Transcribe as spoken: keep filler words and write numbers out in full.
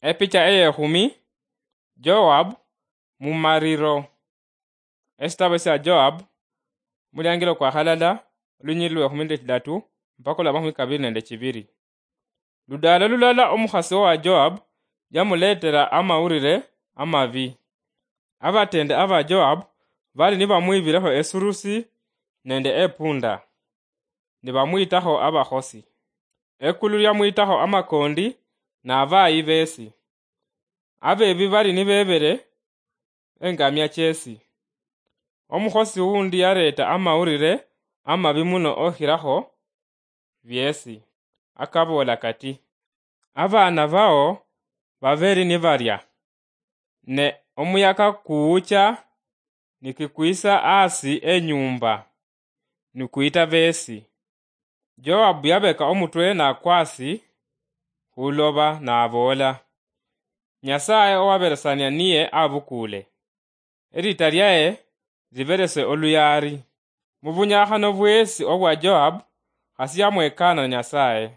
Epicha eyekhumi. Joab mumariro. Esitabo sya Joab, muliangilo kwa halala, olunyili lwekhumi nende chidatu mpaka olwa makhumi kabili nende chibili. Ludaalo lulala omukhasi owa Joab yamuleetera amawulire amabi. Abateende aba Joab bali nibamwiibileho esurusi nende epunda, nibamwiitakho abakhosi. Ekulu lyamwiitakho amakondi n'abaayi beesi. Abeebi bali nibeebere engamia cheesi. Omukhosi wuundi yareeta amawulire amabi muno okhiraho byeesi, akaboola kati, "Abaana bao babeeli nibalya, ne omuyaka kuwucha nikikwisa aasi enyuumba, nikwiita beesi." Joab yabeka omutwe n'akwa aasi khuloba n'aboola, "Nyasaye owaberesania niye abukuule. Eliita lyaye liberese oluyaali." Mu bunyakhano bweesi obwa Joab, khasi yamwekaana Nyasaye.